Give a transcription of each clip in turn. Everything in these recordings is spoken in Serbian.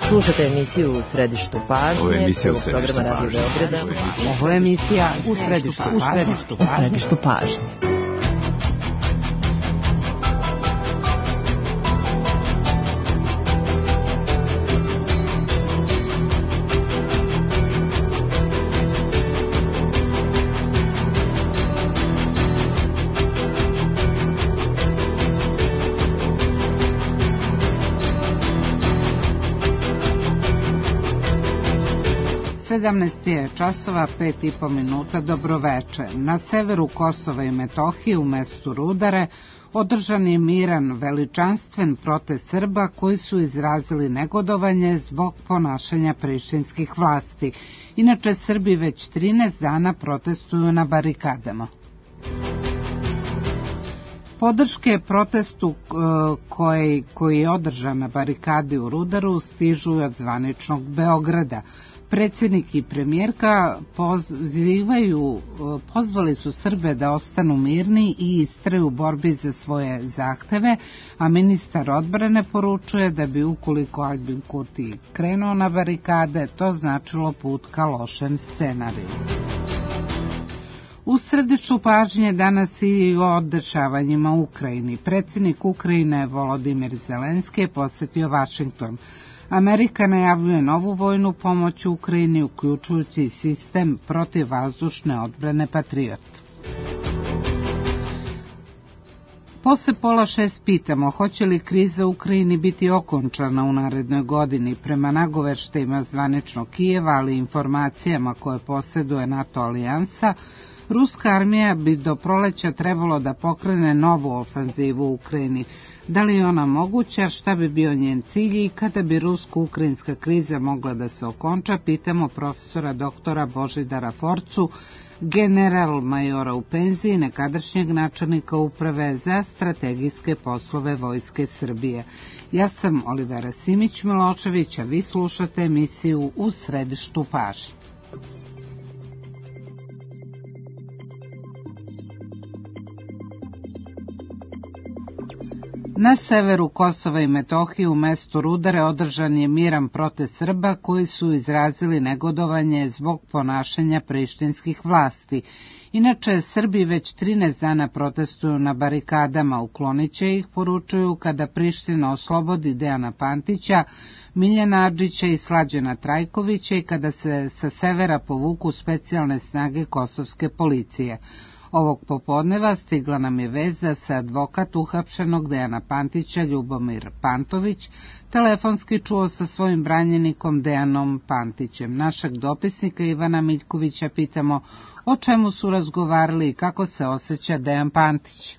Slušate emisiju U središtu pažnje, programa Radio Beograda. Ovo je emisija U središtu pažnje. Časova 5,5 minuta, dobroveče. Na severu Kosova i Metohije u mestu Rudare održan je miran, veličanstven protest Srba koji su izrazili negodovanje zbog ponašanja prištinskih vlasti. Inače, Srbi već 13 dana protestuju na barikadama. Podrške protestu koji je održan na barikadi u Rudaru stižu od zvaničnog Beograda. Predsjednik i premijerka pozvali su Srbe da ostanu mirni i istraju u borbi za svoje zahteve, a ministar odbrane poručuje da bi ukoliko Aljbin Kurti krenuo na barikade, to značilo put ka lošem scenariju. U središtu pažnje danas i o dešavanjima u Ukrajini. Predsjednik Ukrajine Volodimir Zelenski je posjetio Vašington. Amerika najavljuje novu vojnu pomoć u Ukrajini, uključujući sistem protivvazdušne odbrane Patriot. Posle 5:30 pitamo hoće li kriza u Ukrajini biti okončana u narednoj godini. Prema nagoveštajima zvaničnog Kijeva, ali i informacijama koje posjeduje NATO alijansa, ruska armija bi do proleća trebalo da pokrene novu ofenzivu u Ukrajini. Da li je ona moguća, šta bi bio njen cilj i kada bi rusko-ukrajinska kriza mogla da se okonča, pitamo profesora doktora Božidara Forcu, general majora u penziji, nekadašnjeg načelnika uprave za strategijske poslove Vojske Srbije. Ja sam Olivera Simić-Milošević, a vi slušate emisiju U središtu pažnje. Na severu Kosova i Metohije u mestu Rudare održan je miran protest Srba koji su izrazili negodovanje zbog ponašanja prištinskih vlasti. Inače, Srbi već 13 dana protestuju na barikadama, uklonit će ih, poručuju, kada Priština oslobodi Dejana Pantića, Miljana Adžića i Slađana Trajkovića i kada se sa severa povuku specijalne snage kosovske policije. Ovog popodneva stigla nam je vest da se advokat uhapšenog Dejana Pantića, Ljubomir Pantović, telefonski čuo sa svojim branjenikom Dejanom Pantićem. Našeg dopisnika Ivana Miljkovića pitamo o čemu su razgovarali i kako se osjeća Dejan Pantić.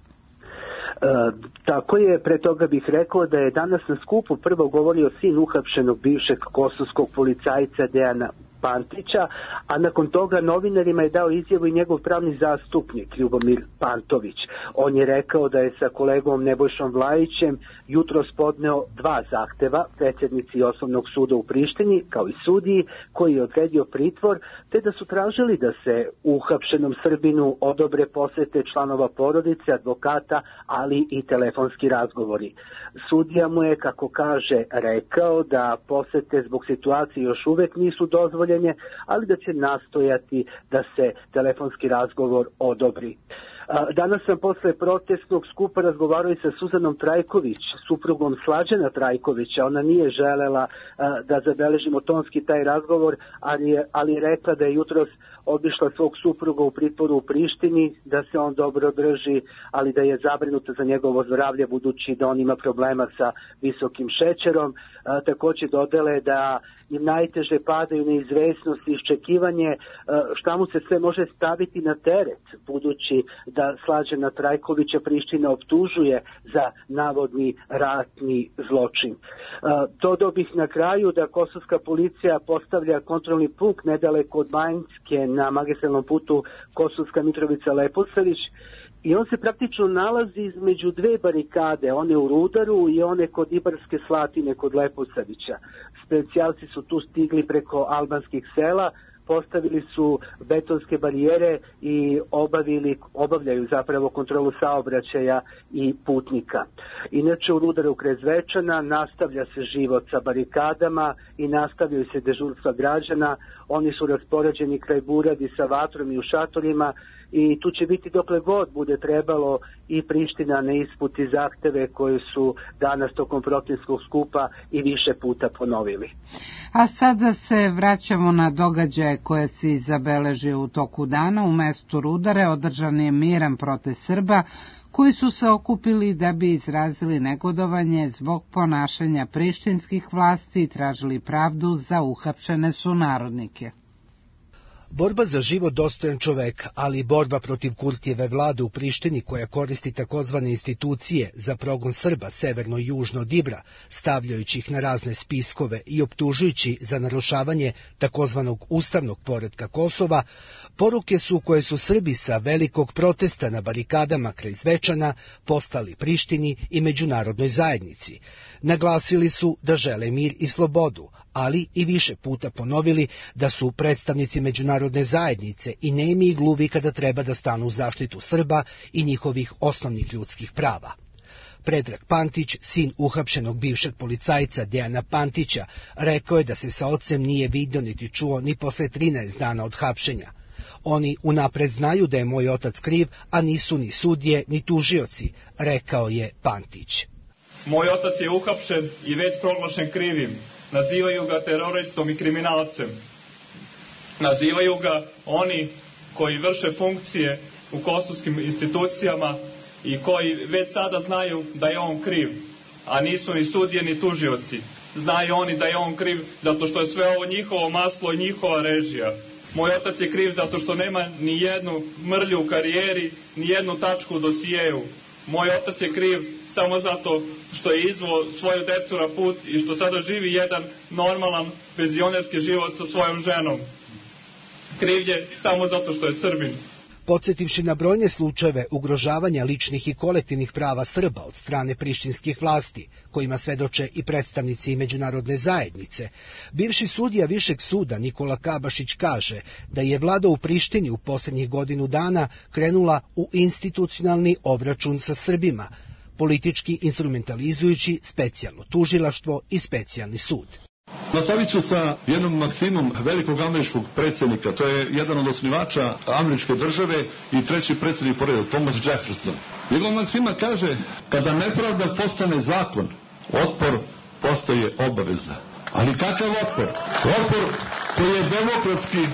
Tako je, pre toga bih rekao da je danas na skupu prvo govorio sin uhapšenog bivšeg kosovskog policajca Dejana Pantića, a nakon toga novinarima je dao izjavu i njegov pravni zastupnik Ljubomir Pantović. On je rekao da je sa kolegom Nebojšom Vlajićem jutros podneo 2 zahteva, predsjednici Osnovnog suda u Prištini, kao i sudiji koji je odredio pritvor, te da su tražili da se uhapšenom Srbinu odobre posete članova porodice, advokata, ali i telefonski razgovori. Sudija mu je, kako kaže, rekao da posete zbog situacije još uvek nisu dozvoljene, ali da će nastojati da se telefonski razgovor odobri. Danas sam posle protestnog skupa razgovarao i sa Suzanom Trajković, suprugom Slađana Trajkovića. Ona nije želela da zabeležimo tonski taj razgovor, ali je rekla da je jutros obišla svog supruga u pritvoru u Prištini, da se on dobro drži, ali da je zabrinuta za njegovo zdravlje budući da on ima problema sa visokim šećerom. Također dodale da im najteže padaju neizvesnost i iščekivanje šta mu se sve može staviti na teret, budući da Slađana Trajkovića Priština optužuje za navodni ratni zločin. Dodao bih na kraju da kosovska policija postavlja kontrolni punkt nedaleko od Banjske na magistralnom putu Kosovska Mitrovica-Leposavić i on se praktično nalazi između 2 barikade, one u Rudaru i one kod Ibarske Slatine kod Leposavića. Specijalci su tu stigli preko albanskih sela, postavili su betonske barijere i obavljaju zapravo kontrolu saobraćaja i putnika. Inače, u Rudaru kraj Zvečana nastavlja se život sa barikadama i nastavljaju se dežurstva građana. Oni su raspoređeni kraj Buradi sa vatrom i u šatorima i tu će biti dokle god bude trebalo i Priština ne isputi zahteve koje su danas tokom protestnog skupa i više puta ponovili. A sada se vraćamo na događaje koje se zabeležio u toku dana. U mestu Rudare održan je miran protest Srba koji su se okupili da bi izrazili negodovanje zbog ponašanja prištinskih vlasti i tražili pravdu za uhapšene sunarodnike. Borba za život dostojan čoveka, ali i borba protiv Kurtijeve vlade u Prištini koja koristi takozvane institucije za progon Srba severno i južno od Ibra, stavljajući ih na razne spiskove i optužujući za narušavanje takozvanog ustavnog poretka Kosova, poruke su koje su Srbi sa velikog protesta na barikadama kraj Zvečana postali Prištini i međunarodnoj zajednici. Naglasili su da žele mir i slobodu, ali i više puta ponovili da su predstavnici međunarodne zajednice i nemi i gluvi kada treba da stanu u zaštitu Srba i njihovih osnovnih ljudskih prava. Predrag Pantić, sin uhapšenog bivšeg policajca Dejana Pantića, rekao je da se sa ocem nije vidio niti čuo ni posle 13 dana od hapšenja. Oni unapred znaju da je moj otac kriv, a nisu ni sudije ni tužioci, rekao je Pantić. Moj otac je uhapšen i već proglašen krivim. Nazivaju ga teroristom i kriminalcem. Nazivaju ga oni koji vrše funkcije u kosovskim institucijama i koji već sada znaju da je on kriv, a nisu ni sudije ni tužioci. Znaju oni da je on kriv zato što je sve ovo njihovo maslo i njihova režija. Moj otac je kriv zato što nema ni jednu mrlju u karijeri, ni jednu tačku u dosijeju. Moj otac je kriv samo zato što je izveo svoju decu na put i što sada živi jedan normalan penzionerski život sa svojom ženom. Kriv je samo zato što je Srbin. Podsjetivši na brojne slučajeve ugrožavanja ličnih i kolektivnih prava Srba od strane prištinskih vlasti, kojima svedoče i predstavnici međunarodne zajednice, bivši sudija Višeg suda Nikola Kabašić kaže da je vlada u Prištini u posljednjih godinu dana krenula u institucionalni obračun sa Srbima, politički instrumentalizujući specijalno tužilaštvo i specijalni sud. Nastavit ću sa jednom maksimom velikog američkog predsjednika, to je jedan od osnivača američke države i treći predsjednik po redu, Thomas Jefferson. Njegova maksima kaže, kada nepravda postane zakon, otpor postaje obaveza. Ali kakav otpor? Otpor koji je demokratski,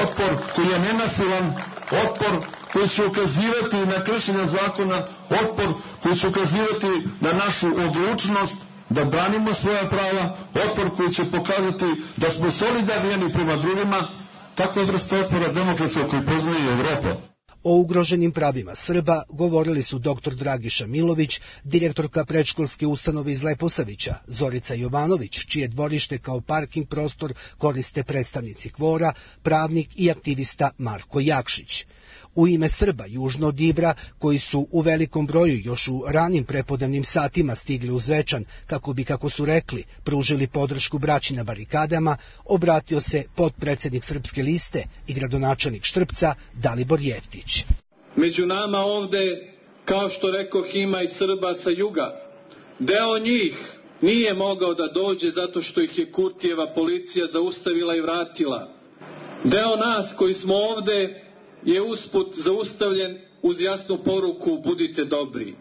otpor koji je nenasilan, otpor koji će ukazivati na kršenje zakona, otpor koji će ukazivati na našu odlučnost da branimo svoja prava, otpor koji će pokazati da smo solidarni jedni prema drugima, tako je vrsta otpora demokratskog koji poznaje Evropa. O ugroženim pravima Srba govorili su dr. Dragiša Milović, direktorka predškolske ustanove iz Leposavića, Zorica Jovanović, čije dvorište kao parking prostor koriste predstavnici Kvora, pravnik i aktivista Marko Jakšić. U ime Srba južno od Ibra, koji su u velikom broju još u ranim prepodnevnim satima stigli u Zvečan, kako bi, kako su rekli, pružili podršku braći na barikadama, obratio se potpredsednik Srpske liste i gradonačelnik Štrpca Dalibor Jeftić. Među nama ovde, kao što rekoh, ima i Srba sa juga. Deo njih nije mogao da dođe zato što ih je Kurtijeva policija zaustavila i vratila. Deo nas koji smo ovde je usput zaustavljen uz jasnu poruku budite dobri.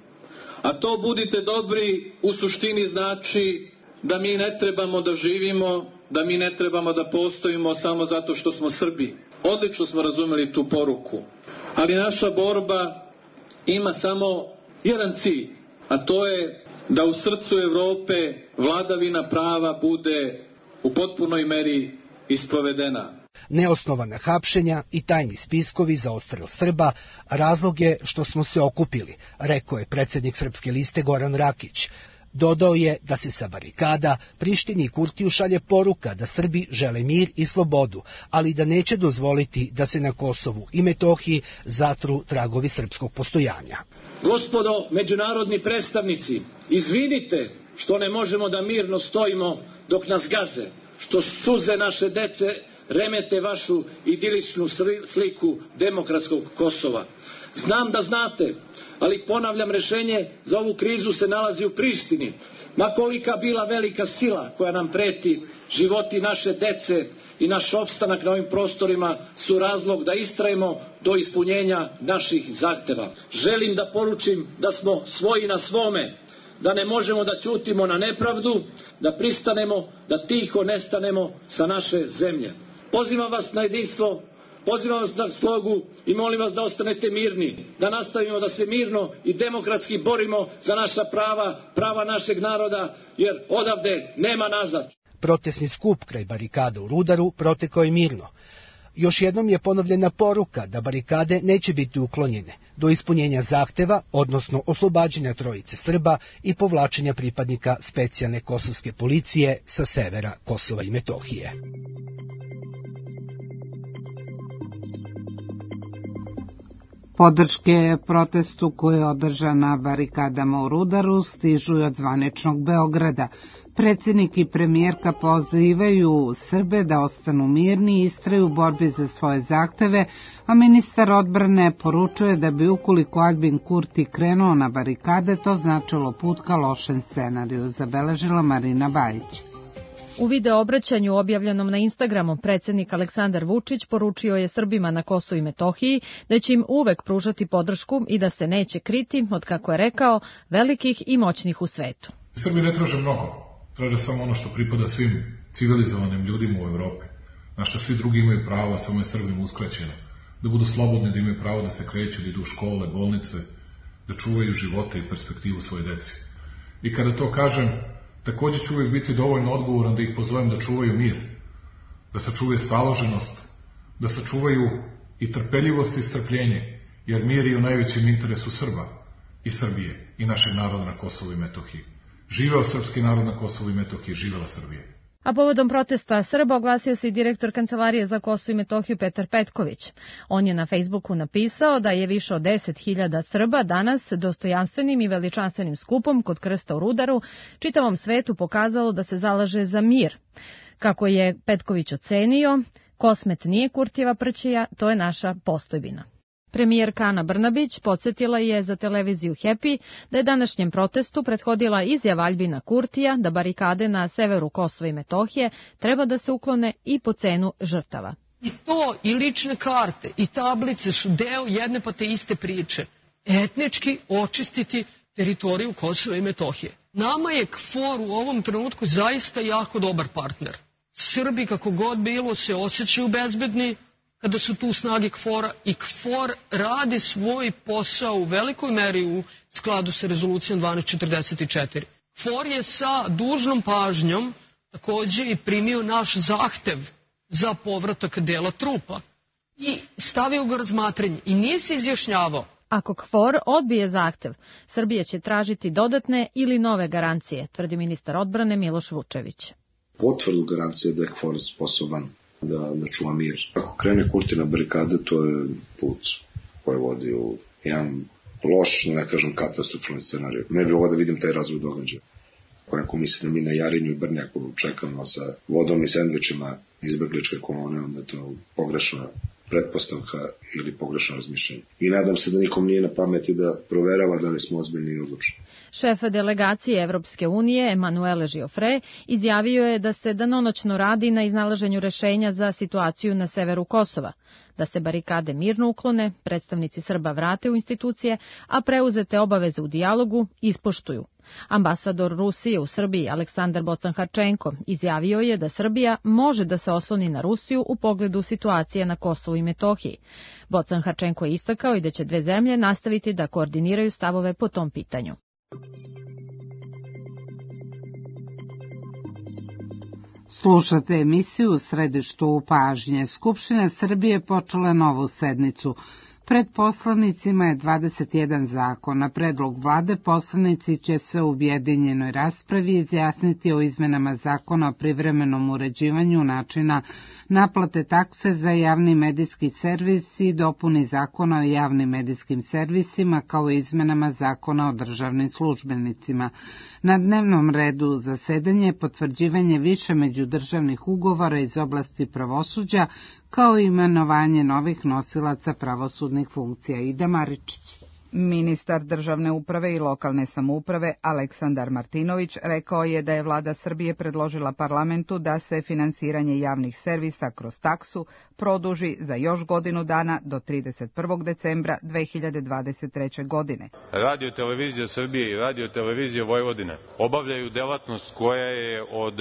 A to budite dobri u suštini znači da mi ne trebamo da živimo, da mi ne trebamo da postojimo samo zato što smo Srbi. Odlično smo razumeli tu poruku. Ali naša borba ima samo jedan cilj, a to je da u srcu Evrope vladavina prava bude u potpunoj meri isprovedena. Neosnovana hapšenja i tajni spiskovi za odstrel Srba razlog je što smo se okupili, rekao je predsjednik Srpske liste Goran Rakić. Dodao je da se sa barikada Prištini i Kurtiju šalje poruka da Srbi žele mir i slobodu, ali da neće dozvoliti da se na Kosovu i Metohiji zatru tragovi srpskog postojanja. Gospodo međunarodni predstavnici, izvinite što ne možemo da mirno stojimo dok nas gaze, što suze naše dece remete vašu idiličnu sliku demokratskog Kosova. Znam da znate, ali ponavljam, rešenje za ovu krizu se nalazi u Prištini. Ma kolika bila velika sila koja nam preti, životi naše dece i naš opstanak na ovim prostorima su razlog da istrajemo do ispunjenja naših zahteva. Želim da poručim da smo svoji na svome, da ne možemo da ćutimo na nepravdu, da pristanemo, da tiho nestanemo sa naše zemlje. Pozivam vas na jedinstvo, pozivam vas na slogu i molim vas da ostanete mirni, da nastavimo da se mirno i demokratski borimo za naša prava, prava našeg naroda, jer odavde nema nazad. Protesni skup kraj barikada u Rudaru protekao je mirno. Još jednom je ponovljena poruka da barikade neće biti uklonjene do ispunjenja zahteva, odnosno oslobađanja trojice Srba i povlačenja pripadnika specijalne kosovske policije sa severa Kosova i Metohije. Podrške protestu koje je održan na barikadama u Rudaru stižu od zvaničnog Beograda. Predsjednik i premijerka pozivaju Srbe da ostanu mirni i istraju u borbi za svoje zahteve, a ministar odbrane poručuje da bi ukoliko Aljbin Kurti krenuo na barikade, to značilo put ka lošem scenariju, zabeležila Marina Bajić. U video obraćanju objavljenom na Instagramu predsjednik Aleksandar Vučić poručio je Srbima na Kosovu i Metohiji da će im uvek pružati podršku i da se neće kriti od, kako je rekao, velikih i moćnih u svetu. Srbi ne traže mnogo, traže samo ono što pripada svim civilizovanim ljudima u Evropi, na što svi drugi imaju pravo, samo je Srbima uskraćeno, da budu slobodni, da imaju pravo da se kreću, da idu u škole, bolnice, da čuvaju živote i perspektivu svoje deci. I kada to kažem, također ću uvijek biti dovoljno odgovoran da ih pozovem da čuvaju mir, da sačuvaju staloženost, da sačuvaju i trpeljivost i strpljenje, jer mir je u najvećem interesu Srba i Srbije i našeg naroda na Kosovu i Metohiji. Živeo srpski narod na Kosovu i Metohiji, živela Srbija. A povodom protesta Srba oglasio se i direktor Kancelarije za Kosovo i Metohiju Petar Petković. On je na Facebooku napisao da je više od 10.000 Srba danas dostojanstvenim i veličanstvenim skupom kod krsta u Rudaru čitavom svetu pokazalo da se zalaže za mir. Kako je Petković ocenio, Kosmet nije Kurtijeva prćija, to je naša postojbina. Premijerka Ana Brnabić podsjetila je za televiziju Happy da je današnjem protestu prethodila izjava Aljbina Kurtija da barikade na severu Kosova i Metohije treba da se uklone i po cenu žrtava. I to i lične karte i tablice su deo jedne pa te iste priče. Etnički očistiti teritoriju Kosova i Metohije. Nama je KFOR u ovom trenutku zaista jako dobar partner. Srbi, kako god bilo, se osjećaju bezbedni kada su tu snage KFOR-a i KFOR radi svoj posao u velikoj meri u skladu sa rezolucijom 1244. KFOR je sa dužnom pažnjom također i primio naš zahtev za povratak dela trupa i stavio ga razmatranje i nije se izjašnjavao. Ako KFOR odbije zahtev, Srbija će tražiti dodatne ili nove garancije, tvrdi ministar odbrane Miloš Vučević. Potvrdu garancije da je KFOR sposoban da čuva mir. Ako krene Kurti na barikade, to je put koji vodi u jedan loš, ne kažem katastrofalni scenarij. Ne bih ovo da vidim taj razvoj događaja. Ako neko misli da mi na Jarinju i Brnjaku čekamo sa vodom i sendvičima izbegličke kolone, onda je to pogrešna pretpostavka ili pogrešno razmišljanje. I nadam se da nikom nije na pameti da proverava da li smo ozbiljni i odlučni. Šef delegacije Evropske unije, Emanuele Giofre, izjavio je da se danonoćno radi na iznalaženju rešenja za situaciju na severu Kosova, da se barikade mirno uklone, predstavnici Srba vrate u institucije, a preuzete obaveze u dijalogu ispoštuju. Ambasador Rusije u Srbiji Aleksandar Bocan-Harčenko izjavio je da Srbija može da se osloni na Rusiju u pogledu situacije na Kosovu i Metohiji. Bocan-Harčenko je istakao i da će dve zemlje nastaviti da koordiniraju stavove po tom pitanju. Slušate emisiju u središtu pažnje. Skupština Srbije počela novu sednicu. Pred poslanicima je 21 zakon. Na predlog vlade poslanici će se u objedinjenoj raspravi izjasniti o izmenama zakona o privremenom uređivanju načina naplate takse za javni medijski servis i dopuni zakona o javnim medijskim servisima kao i izmenama zakona o državnim službenicima. Na dnevnom redu zasedanje je potvrđivanje više međudržavnih ugovora iz oblasti pravosuđa kao i imenovanje novih nosilaca pravosudnih funkcija. Ida Maričić. Ministar državne uprave i lokalne samouprave Aleksandar Martinović rekao je da je vlada Srbije predložila parlamentu da se finansiranje javnih servisa kroz taksu produži za još godinu dana do 31. decembra 2023. godine. Radio televizija Srbije i Radio televizija Vojvodine obavljaju delatnost koja je od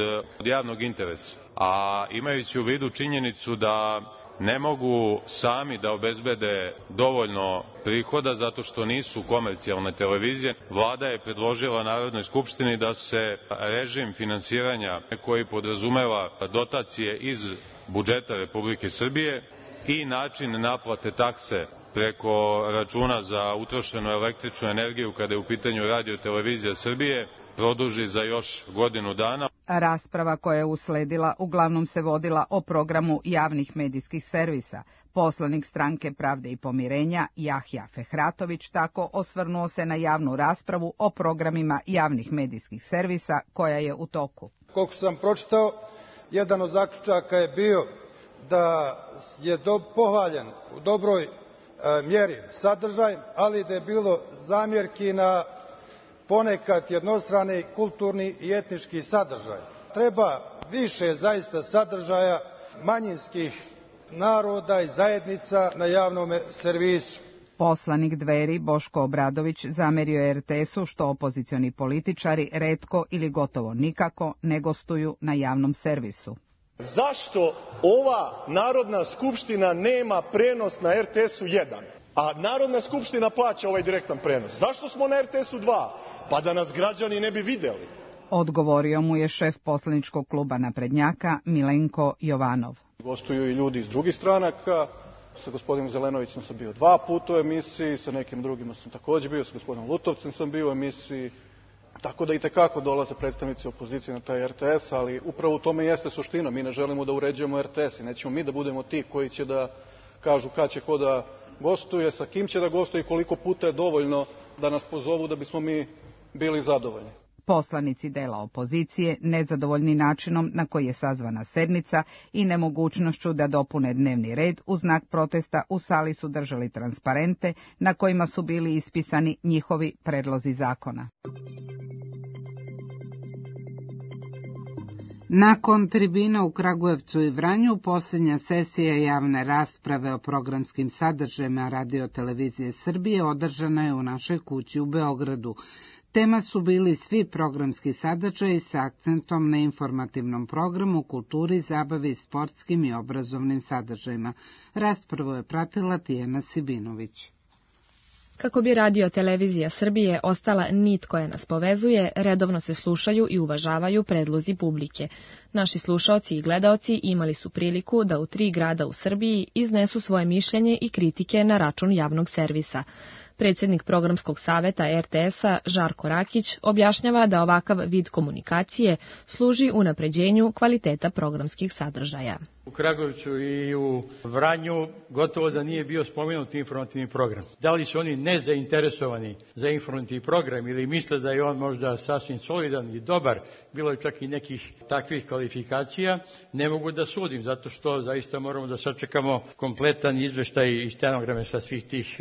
javnog interesa, a imajući u vidu činjenicu da ne mogu sami da obezbede dovoljno prihoda zato što nisu komercijalne televizije, vlada je predložila Narodnoj skupštini da se režim finansiranja koji podrazumeva dotacije iz budžeta Republike Srbije i način naplate takse preko računa za utrošenu električnu energiju kada je u pitanju Radio televizija Srbije produži za još godinu dana. Rasprava koja je usledila uglavnom se vodila o programu javnih medijskih servisa. Poslanik Stranke Pravde i pomirenja Jahja Fehratović tako osvrnuo se na javnu raspravu o programima javnih medijskih servisa koja je u toku. Koliko sam pročitao, jedan od zaključaka je bio da je pohvaljen u dobroj mjeri sadržaj, ali da je bilo zamjerki na ponekad jednostrani kulturni i etnički sadržaj. Treba više zaista sadržaja manjinskih naroda i zajednica na javnom servisu. Poslanik Dveri Boško Obradović zamerio je RTS-u što opozicioni političari retko ili gotovo nikako ne gostuju na javnom servisu. Zašto ova Narodna skupština nema prenos na RTS-u 1, a Narodna skupština plaća ovaj direktan prenos? Zašto smo na RTS-u 2? Pa da nas građani ne bi videli. Odgovorio mu je šef poslaničkog kluba naprednjaka Milenko Jovanov. Gostuju i ljudi iz drugih stranaka. Sa gospodinom Zelenovićem sam bio 2 puta u emisiji, sa nekim drugima sam također bio, sa gospodinom Lutovcem sam bio u emisiji. Tako da i tekako dolaze predstavnici opozicije na taj RTS, ali upravo u tome jeste suština. Mi ne želimo da uređujemo RTS i nećemo mi da budemo ti koji će da kažu kad će ko da gostuje, sa kim će da gostuje i koliko puta je dovoljno da nas pozovu da bismo mi bili zadovoljni. Poslanici dela opozicije, nezadovoljni načinom na koji je sazvana sednica i nemogućnošću da dopune dnevni red, u znak protesta u sali su držali transparente na kojima su bili ispisani njihovi predlozi zakona. Nakon tribina u Kragujevcu i Vranju, posljednja sesija javne rasprave o programskim sadržajima Radio televizije Srbije održana je u našoj kući u Beogradu. Tema su bili svi programski sadržaji sa akcentom na informativnom programu, kulturi, zabavi i sportskim i obrazovnim sadržajima. Raspravu je pratila Tijana Sibinović. Kako bi Radio televizija Srbije ostala nit koja nas povezuje, redovno se slušaju i uvažavaju predlozi publike. Naši slušaoci i gledaoci imali su priliku da u 3 grada u Srbiji iznesu svoje mišljenje i kritike na račun javnog servisa. Predsjednik programskog saveta RTS-a Žarko Rakić objašnjava da ovakav vid komunikacije služi unapređenju kvaliteta programskih sadržaja. U Kragujevcu i u Vranju gotovo da nije bio spomenut informativni program. Da li su oni nezainteresovani za informativni program ili misle da je on možda sasvim solidan i dobar, bilo je čak i nekih takvih kvalifikacija, ne mogu da sudim, zato što zaista moramo da sačekamo kompletan izveštaj i stenograme sa svih tih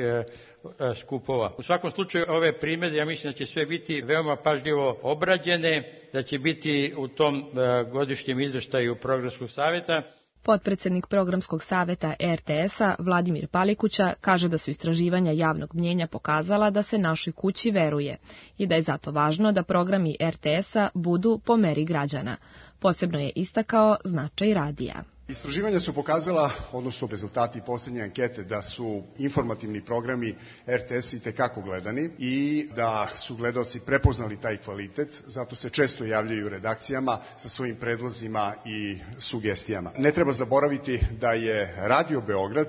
skupova. U svakom slučaju ove primjedbe, ja mislim da će sve biti veoma pažljivo obrađene, da će biti u tom godišnjem izveštaju programskog saveta. Potpredsjednik programskog saveta RTS-a Vladimir Palikuća kaže da su istraživanja javnog mnjenja pokazala da se našoj kući veruje i da je zato važno da programi RTS-a budu po meri građana. Posebno je istakao značaj radija. Istraživanja su pokazala, odnosno rezultati posljednje ankete, da su informativni programi RTS itekako gledani i da su gledaoci prepoznali taj kvalitet, zato se često javljaju redakcijama sa svojim predlozima i sugestijama. Ne treba zaboraviti da je Radio Beograd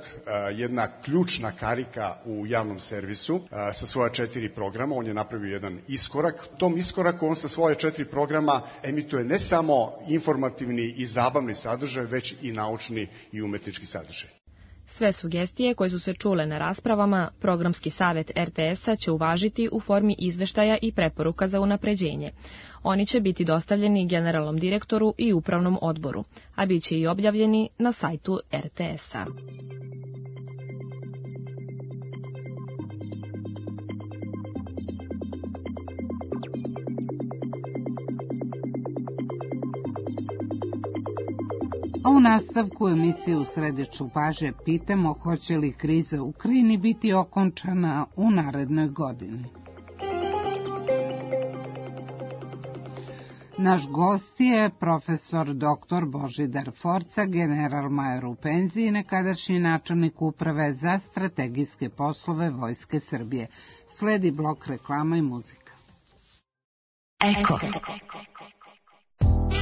jedna ključna karika u javnom servisu sa svoja 4 programa. On je napravio jedan iskorak. Tom iskoraku on sa svoje 4 programa emituje ne samo informativni i zabavni sadržaj, već i naučni i umetnički sadržaj. Sve sugestije koje su se čule na raspravama, programski savet RTS-a će uvažiti u formi izveštaja i preporuka za unapređenje. Oni će biti dostavljeni generalnom direktoru i upravnom odboru, a bit će i objavljeni na sajtu RTS-a. A u nastavku emisije U središću pažnje pitamo hoće li kriza u Ukrajini biti okončana u narednoj godini. Naš gost je profesor dr. Božidar Forca, general-major u penziji, nekadašnji načelnik uprave za strategijske poslove Vojske Srbije. Sledi blok reklama i muzika. Eko.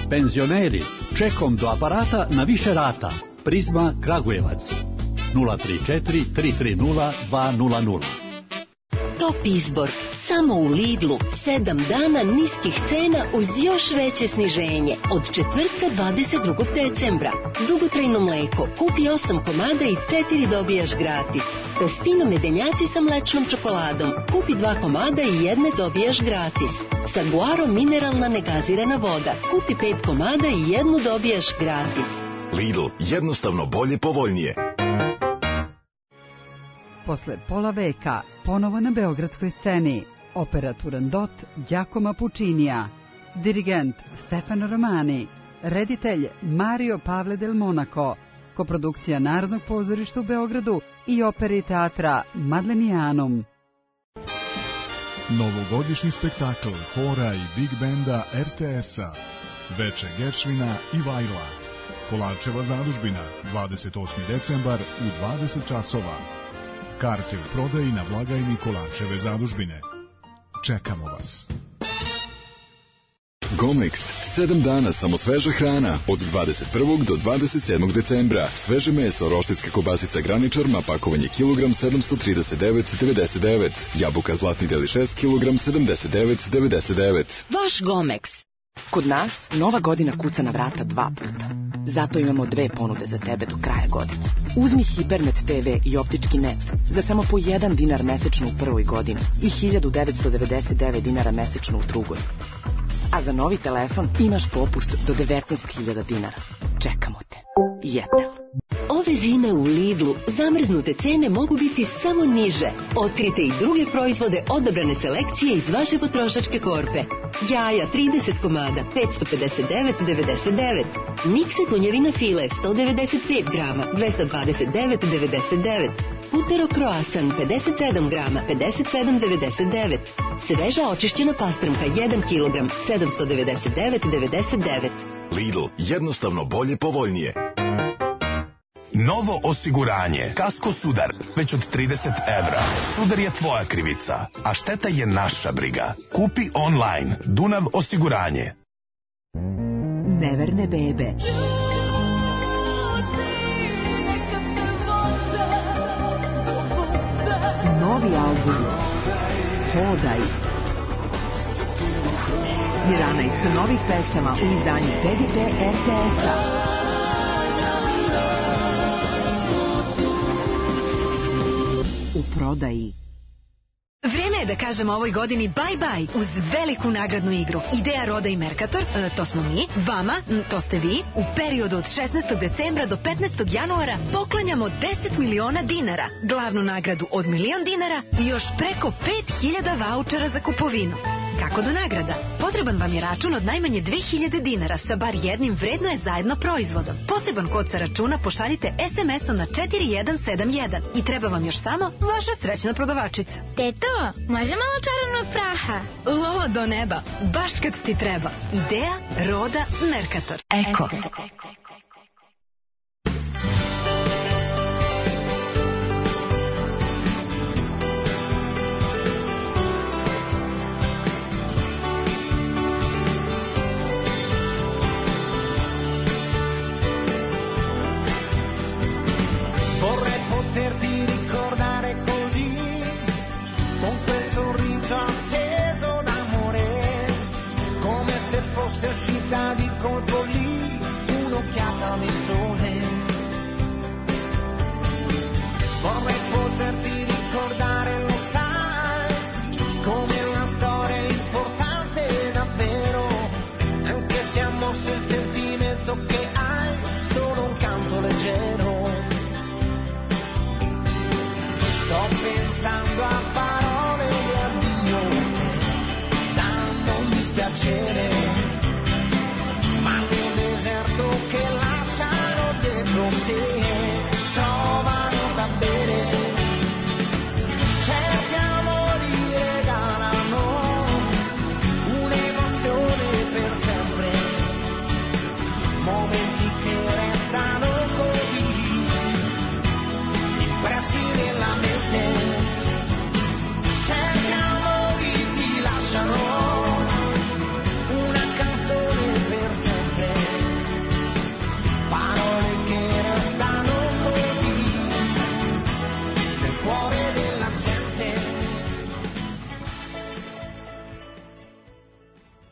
Penzioneri, čekom do aparata na više rata. Prizma Kragujevac 034 330 200. Top izbor samo u Lidlu. 7 dana niskih cena uz još veće sniženje. Od četvrtka 22. decembra. Dugotrajno mleko. Kupi 8 komada i 4 dobijaš gratis. Testino medenjaci sa mlečnom čokoladom. Kupi 2 komada i 1 dobijaš gratis. Saguaro mineralna negazirana voda. Kupi 5 komada i 1 dobijaš gratis. Lidl, jednostavno bolje, povoljnije. Posle pola veka, ponovo na beogradskoj sceni, opera Turandot Giacomo Puccinija, dirigent Stefano Romani, reditelj Mario Pavle del Monaco, koprodukcija Narodnog pozorišta u Beogradu i opere i teatra Madlenianum. Novogodišnji spektakl hora i big benda RTS-a, Veče Geršvina i Vajla, Kolarčeva zadužbina, 28. decembar u 20 časova. Karte u prodaji na blagajni Kolarčeve zadužbine. Čekamo vas. Gomex, 7 dana samo sveža hrana, od 21. do 27. decembra. Sveže meso, roštiljska kobasica Graničar, pakovanje kilogram 739,99. Jabuka Zlatni deli 6 kilogram 79,99. Vaš Gomex. Kod nas nova godina kuca na vrata 2 puta. Zato imamo 2 ponude za tebe do kraja godine. Uzmi Hipernet TV i optički net za samo po 1 dinar mesečno u prvoj godini i 1999 dinara mesečno u drugoj. A za novi telefon imaš popust do 19.000 dinara. Čekamo te. Jetel. Ove zime u Lidlu zamrznute cene mogu biti samo niže. Otkrite i druge proizvode odabrane selekcije iz vaše potrošačke korpe. Jaja 30 komada 559,99. Mikse konjevina file 195 grama 229,99. Putero croissant 57 grama 57,99. Sveža očišćena pastrmka 1 kilogram 799,99. Lidl, jednostavno bolje, povoljnije. Novo osiguranje. Kasko Sudar. Već od 30 evra. Sudar je tvoja krivica, a šteta je naša briga. Kupi online. Dunav osiguranje. Neverne bebe. Novi album Hodaj. 11 novih pesama u izdanju PGP RTS-a. U prodaji. Vreme je da kažemo ovoj godini bye-bye uz veliku nagradnu igru. Ideja Roda i Mercator, to smo mi, vama, to ste vi, u periodu od 16. decembra do 15. januara poklanjamo 10 miliona dinara, glavnu nagradu od 1.000.000 dinara i još preko 5.000 vaučera za kupovinu. Kako do nagrada? Potreban vam je račun od najmanje 2.000 dinara sa bar jednim vredno je zajedno proizvodom. Poseban kod sa računa pošaljite SMS-om na 4171 i treba vam još samo vaša srećna prodavačica. Teto, može malo čarobnog praha? Lova do neba, baš kad ti treba. Ideja Roda Mercator. Eko.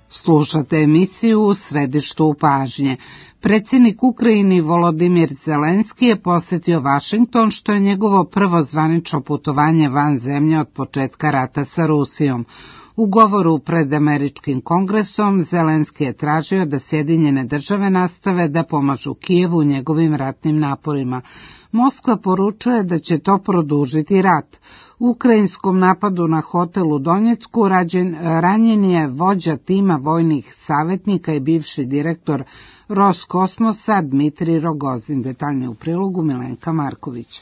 Slušate emisiju U središtu pažnje. Predsjednik Ukrajine Volodimir Zelenski je posjetio Vašington, što je njegovo prvo zvanično putovanje van zemlje od početka rata sa Rusijom. U govoru pred Američkim kongresom Zelenski je tražio da Sjedinjene države nastave da pomažu Kijevu u njegovim ratnim naporima. Moskva poručuje da će to produžiti rat. U ukrajinskom napadu na hotel u Donjecku ranjen je vođa tima vojnih savjetnika i bivši direktor Roskosmosa Dmitrij Rogozin. Detaljnije u prilogu Milenka Marković.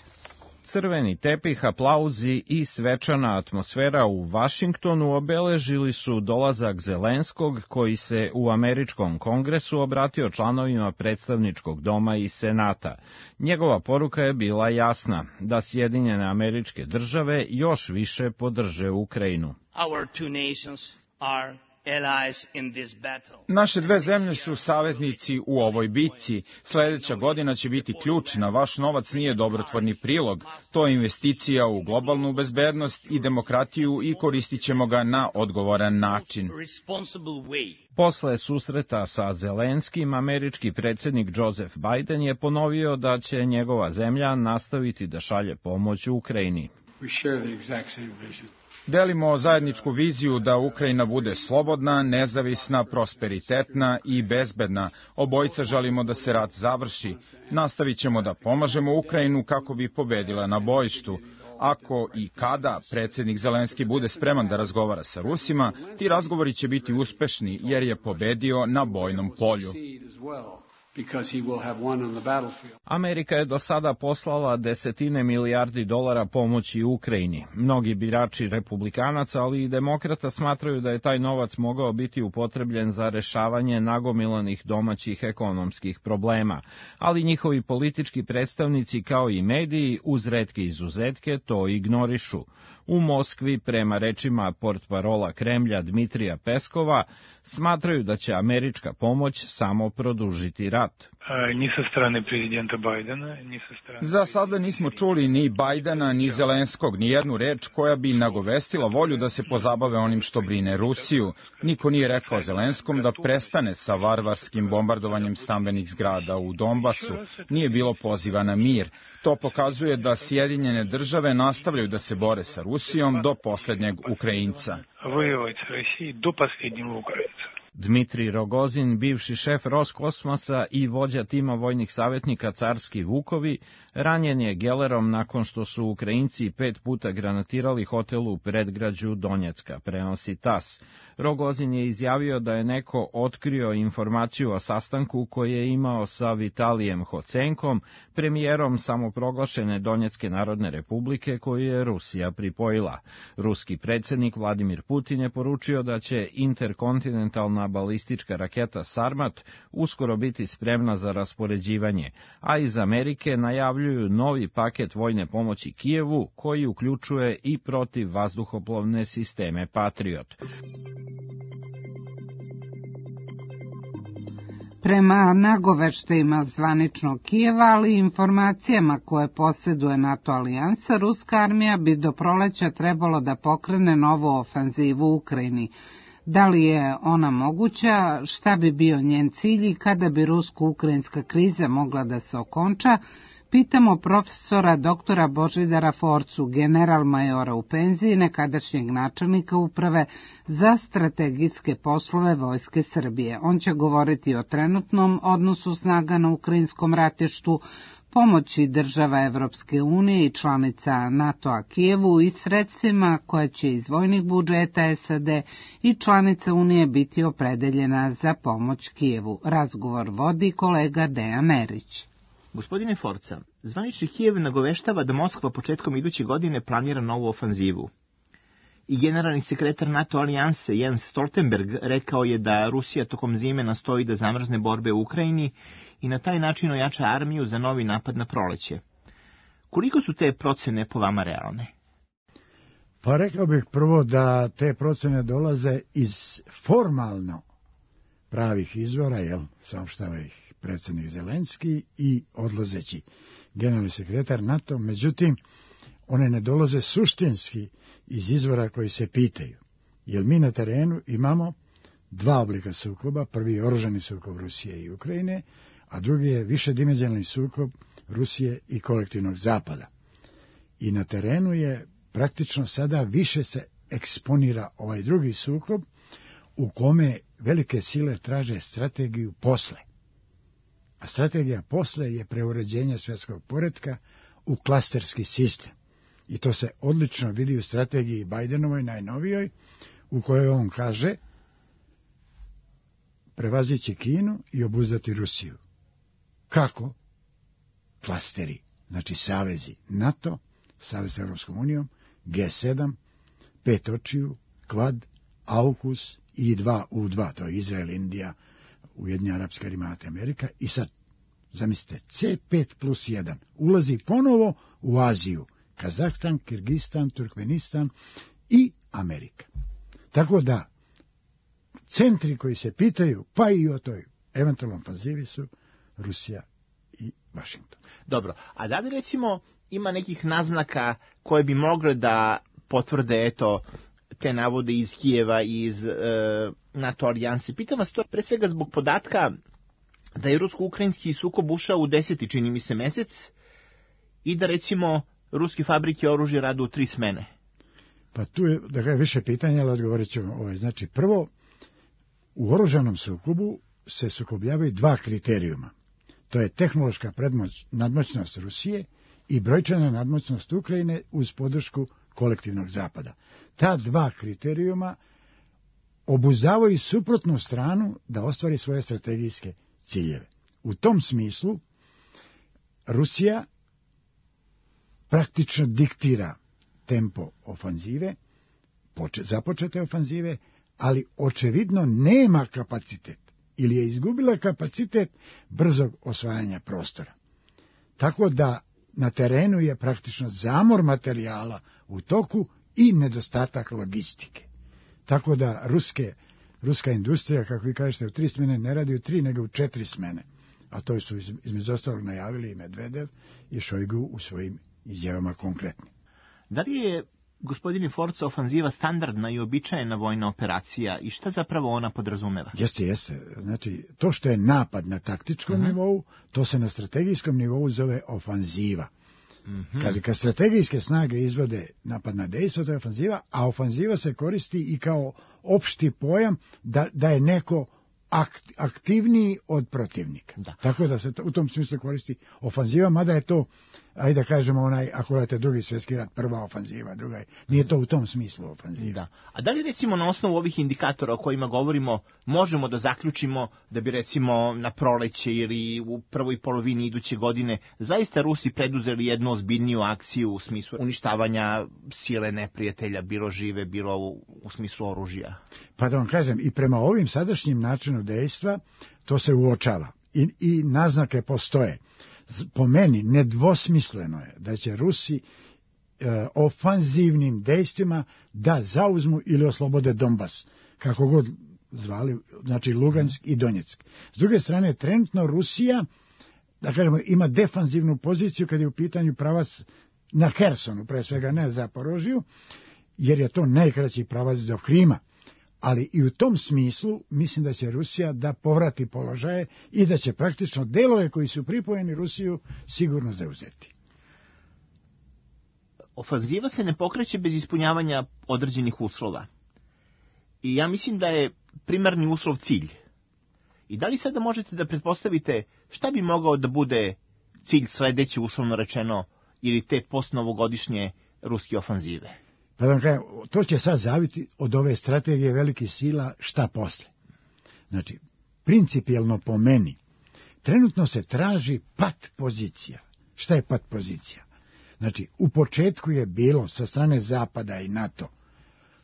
Crveni tepih, aplauzi i svečana atmosfera u Vašingtonu obeležili su dolazak Zelenskog, koji se u Američkom kongresu obratio članovima predstavničkog doma i senata. Njegova poruka je bila jasna, da Sjedinjene Američke Države još više podrže Ukrajinu. Naše dve zemlje su saveznici u ovoj bitci. Sljedeća godina će biti ključna. Vaš novac nije dobrotvorni prilog. To je investicija u globalnu bezbednost i demokratiju i koristit ćemo ga na odgovoran način. Posle susreta sa Zelenskim, američki predsjednik Joseph Biden je ponovio da će njegova zemlja nastaviti da šalje pomoć Ukrajini. Delimo zajedničku viziju da Ukrajina bude slobodna, nezavisna, prosperitetna i bezbedna. Obojica želimo da se rat završi. Nastavit ćemo da pomažemo Ukrajinu kako bi pobedila na bojištu. Ako i kada predsjednik Zelenski bude spreman da razgovara sa Rusima, ti razgovori će biti uspešni jer je pobedio na bojnom polju. Amerika je do sada poslala desetine milijardi dolara pomoći Ukrajini. Mnogi birači republikanaca, ali i demokrata smatraju da je taj novac mogao biti upotrebljen za rešavanje nagomilanih domaćih ekonomskih problema. Ali njihovi politički predstavnici, kao i mediji, uz retke izuzetke, to ignorišu. U Moskvi, prema rečima portparola Kremlja Dmitrija Peskova, smatraju da će američka pomoć samo produžiti rat. Ni sa strane prezidenta Bajdena, ni sa strane... Za sada nismo čuli ni Bajdena, ni Zelenskog, ni jednu reč koja bi nagovestila volju da se pozabave onim što brine Rusiju. Niko nije rekao Zelenskom da prestane sa varvarskim bombardovanjem stambenih zgrada u Donbasu. Nije bilo poziva na mir. To pokazuje da Sjedinjene države nastavljaju da se bore sa Rusijom do posljednjeg Ukrajinca. Dmitrij Rogozin, bivši šef Roskosmosa i vođa tima vojnih savjetnika Carski Vukovi, ranjen je gelerom nakon što su Ukrajinci 5 puta granatirali hotel u predgrađu Donjecka, prenosi TAS. Rogozin je izjavio da je neko otkrio informaciju o sastanku koji je imao sa Vitalijem Hocenkom, premijerom samoproglašene Donjecke narodne republike koju je Rusija pripojila. Ruski predsjednik Vladimir Putin je poručio da će interkontinentalna balistička raketa Sarmat uskoro biti spremna za raspoređivanje, a iz Amerike najavljuju novi paket vojne pomoći Kijevu koji uključuje i protivvazduhoplovne sisteme Patriot. Prema nagoveštajima zvaničnog Kijeva, ali i informacijama koje posjeduje NATO alijansa, ruska armija bi do proleća trebalo da pokrene novu ofanzivu u Ukrajini. Da li je ona moguća, šta bi bio njen cilj i kada bi rusko-ukrajinska kriza mogla da se okonča, pitamo profesora doktora Božidara Forcu, general majora u penziji, nekadašnjeg načelnika uprave za strategijske poslove Vojske Srbije. On će govoriti o trenutnom odnosu snaga na ukrajinskom ratištu, pomoći država Evropske unije i članica NATO-a Kijevu i sredstvima koja će iz vojnih budžeta SAD i članica Unije biti opredeljena za pomoć Kijevu. Razgovor vodi kolega Dejan Erić. Gospodine Forca, zvanični Kijev nagoveštava da Moskva početkom iduće godine planira novu ofanzivu. I generalni sekretar NATO alijanse Jens Stoltenberg rekao je da Rusija tokom zime nastoji da zamrzne borbe u Ukrajini i na taj način ojača armiju za novi napad na proleće. Koliko su te procene po vama realne? Pa rekao bih prvo da te procene dolaze iz formalno pravih izvora, saopštava ih predsjednik Zelenski i odlazeći generalni sekretar NATO, međutim, one ne dolaze suštinski iz izvora koji se pitaju. Jer mi na terenu imamo dva oblika sukoba. Prvi je oružani sukob Rusije i Ukrajine, a drugi je višedimenzionalni sukob Rusije i kolektivnog zapada. I na terenu je praktično sada više se eksponira ovaj drugi sukob u kome velike sile traže strategiju posle. A strategija posle je preuređenje svjetskog poretka u klasterski sistem. I to se odlično vidi u strategiji Bajdenovoj, najnovijoj, u kojoj on kaže prevazići Kinu i obuzdati Rusiju. Kako? Klasteri, znači savezi NATO, savez s Europskom unijom, G7, 5 očiju, Quad, AUKUS i 2U2, to je Izrael, Indija, Ujedinjeni Arapski Emirati, Amerika. I sad, zamislite, C5+1 ulazi ponovo u Aziju, Kazahstan, Kirgistan, Turkmenistan i Amerika. Tako da, centri koji se pitaju, pa i o toj eventualnom ofanzivi su Rusija i Vašington. Dobro, a da li recimo ima nekih naznaka koje bi mogle da potvrde, eto, te navode iz Kijeva i iz NATO alijanse? Pitam vas to pre svega zbog podatka da je rusko-ukrajinski sukob ušao u 10. čini mi se mesec i da recimo ruske fabrike oružja rade u 3 smene. Pa tu je više pitanja, ali odgovorit ćemo. Znači, prvo, u oružanom sukobu se sukobljavaju 2 kriterijuma. To je tehnološka nadmoćnost Rusije i brojčana nadmoćnost Ukrajine uz podršku kolektivnog zapada. Ta 2 kriterijuma obuzdavaju suprotnu stranu da ostvari svoje strategijske ciljeve. U tom smislu Rusija praktično diktira tempo ofanzive, započete ofanzive, ali očevidno nema kapacitet ili je izgubila kapacitet brzog osvajanja prostora. Tako da na terenu je praktično zamor materijala u toku i nedostatak logistike. Tako da ruska industrija, kako vi kažete, u 3 smene ne radi u 3, nego u 4 smene. A to su između ostalog najavili i Medvedev i Šojgu u svojim izjavama konkretnim. Da li je, gospodine Forca, ofanziva standardna i običajna vojna operacija i šta zapravo ona podrazumeva? Jeste. Znači, to što je napad na taktičkom nivou, to se na strategijskom nivou zove ofanziva. Kad strategijske snage izvode napad na dejstvo, to je ofanziva, a ofanziva se koristi i kao opšti pojam da je neko aktivniji od protivnika. Da. Tako da se u tom smislu koristi ofanziva, mada je to, ajde da kažemo, ako gledate Drugi svjetski rat, prva ofanziva, druga je, nije to u tom smislu ofanziva. Da. A da li recimo na osnovu ovih indikatora o kojima govorimo, možemo da zaključimo da bi recimo na proleće ili u prvoj polovini iduće godine zaista Rusi preduzeli jednu ozbiljniju akciju u smislu uništavanja sile neprijatelja, bilo žive, bilo u smislu oružja? Pa da vam kažem, i prema ovim sadašnjim načinu dejstva to se uočava i naznake postoje. Po meni nedvosmisleno je da će Rusi ofanzivnim dejstvima da zauzmu ili oslobode Donbas, kako god zvali, znači Lugansk i Donjeck. S druge strane, trenutno Rusija, da kažemo, ima defanzivnu poziciju kad je u pitanju pravac na Hersonu, pre svega ne Zaporožju, jer je to najkraći pravac do Krima. Ali i u tom smislu mislim da će Rusija da povrati položaje i da će praktično delove koji su pripojeni Rusiju sigurno zauzeti. Ofanziva se ne pokreće bez ispunjavanja određenih uslova. I ja mislim da je primarni uslov cilj. I da li sada možete da pretpostavite šta bi mogao da bude cilj sledeće, uslovno rečeno, ili te postnovogodišnje ruske ofanzive? Pa da vam kažem, to će sad zaviti od ove strategije velikih sila šta posle. Znači, principijelno po meni, trenutno se traži pat pozicija. Šta je pat pozicija? Znači, u početku je bilo sa strane Zapada i NATO,